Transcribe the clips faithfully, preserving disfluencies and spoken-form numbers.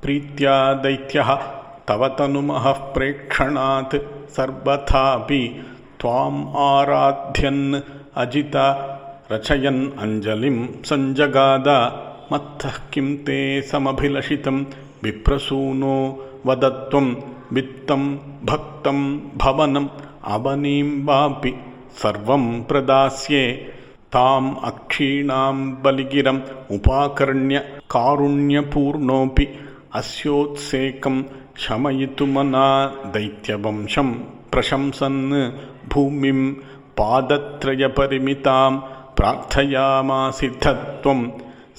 प्रीत्या दैत्यः तव तनुमः प्रेक्षणात् सर्वथापि त्वाम् आराध्यन् अजिता रचयन् अञ्जलिं सञ्जगाद मत्तः किं ते समभिलषितं विप्रसूनो वदत्वं वित्तं भक्तं भवनम् अवनीं वापि सर्वं प्रदास्ये ताम् अक्षीणां बलिगिरम् उपाकर्ण्य कारुण्यपूर्णोऽपि अस्योत्सेकं शमयितुमना दैत्यवंशं प्रशंसन् भूमिं पादत्रयपरिमितां प्रार्थयामासिद्धत्वं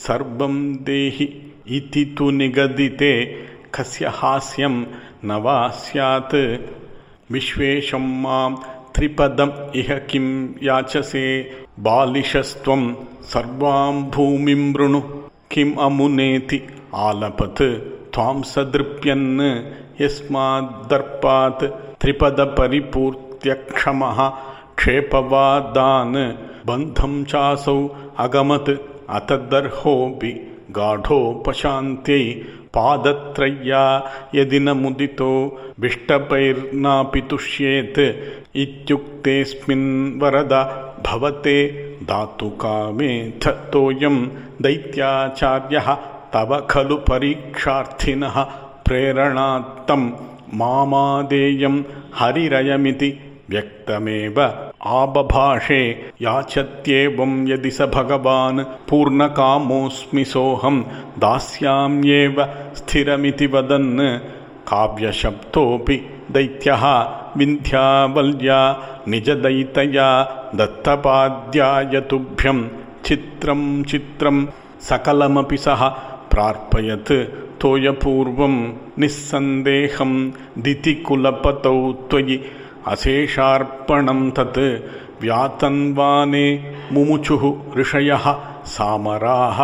सर्वं देहि इति तु निगदिते कस्य हास्यं न वा स्यात् विश्वेशं मां त्रिपदम् इह किं याचसे बालिशस्त्वं सर्वां भूमिं वृणु किम् अमुनेति आलपत् त्वां सदृप्यन् यस्माद्दर्पात् त्रिपदपरिपूर्त्यक्षमः क्षेपवादान् बन्धं चासौ अगमत् अतदर्होऽपि गाढोपशान्त्यै पादत्रय्या यदि न मुदितो विष्टपैर्नापि तुष्येत् इत्युक्तेऽस्मिन् वरद भवते दातुकामेऽथ तोयं दैत्याचार्यः तव खलु परीक्षार्थिनः प्रेरणात्तं मामादेयं हरिरयमिति व्यक्तमेव आबभाषे याचत्येवं यदि स भगवान् पूर्णकामोऽस्मि सोऽहं दास्याम्येव स्थिरमिति वदन् काव्यशब्दोऽपि दैत्यः विन्ध्यावल्या निजदैतया दत्तपाद्याय तुभ्यं चित्रं चित्रं सकलमपि सः प्रार्पयत् तोयपूर्वं निस्सन्देहं दितिकुलपतौ त्वयि अशेषार्पणं तत् व्यातन्वाने मुमुचुः ऋषयः सामराः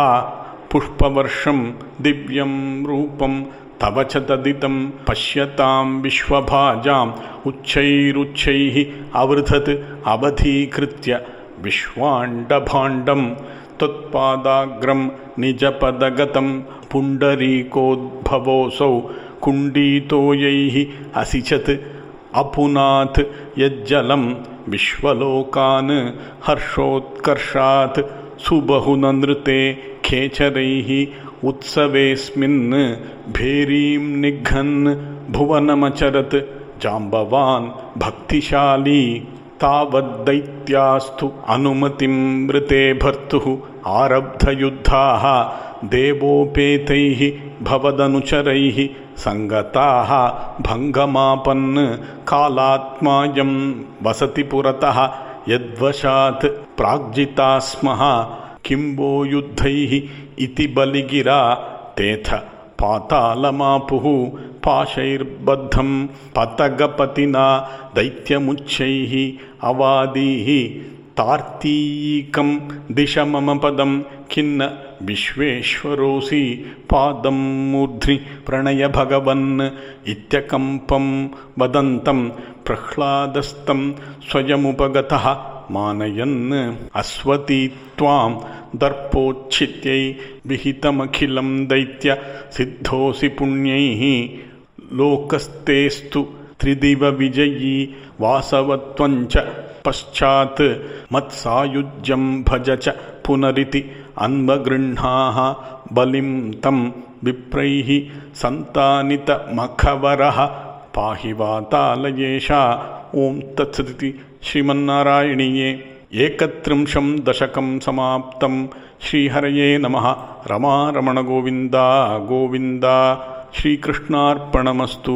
पुष्पवर्षं दिव्यं रूपं तव च तदितं पश्यतां विश्वभाजाम् उच्चैरुच्चैः अवृधत् अवधीकृत्य विश्वाण्डभाण्डं त्वत्पादाग्रं निजपदगतं पुण्डरीकोद्भवोऽसौ कुण्डीतोयैः असिचत् अपुनाथ यज्जलं विश्वलोकान् हर्षोत्कर्षात् सुबहुननृते खेचरैः उत्सवेऽस्मिन् भेरीं निघ्नन् भुवनमचरत् जाम्बवान् भक्तिशाली तावद्दैत्यास्तु अनुमतिं मृते भर्तुः आरब्धयुद्धाः देवोपेतैः भवदनुचरैः सङ्गताः भङ्गमापन् कालात्मायं वसति पुरतः यद्वशात् प्राग्जिता स्मः किं वो युद्धैः इति बलिगिरा तेथ पातालमापुः पाशैर्बद्धं पतगपतिना दैत्यमुच्चैः अवादीः तार्तीकं दिश मम पदं खिन्न विश्वेश्वरोऽसि पादं मूर्ध्नि प्रणय भगवन् इत्यकम्पं वदन्तं प्रह्लादस्तं स्वयमुपगतः मानयन् अस्वती त्वां दर्पोच्छित्यै विहितमखिलं दैत्य सिद्धोऽसि पुण्यैः लोकस्तेस्तु त्रिदिव विजयी वासवत्वञ्च पश्चात् मत्सायुज्यं भज च पुनरिति अन्वगृह्णाः बलिं तं विप्रैः सन्तानितमखवरः पाहि वातालयेशा ॐ तत्सदिति श्रीमन्नारायणीये एकत्रिंशं दशकं समाप्तं। श्रीहरये नमः। रमारमण गोविन्दा गोविन्दा। श्रीकृष्णार्पणमस्तु।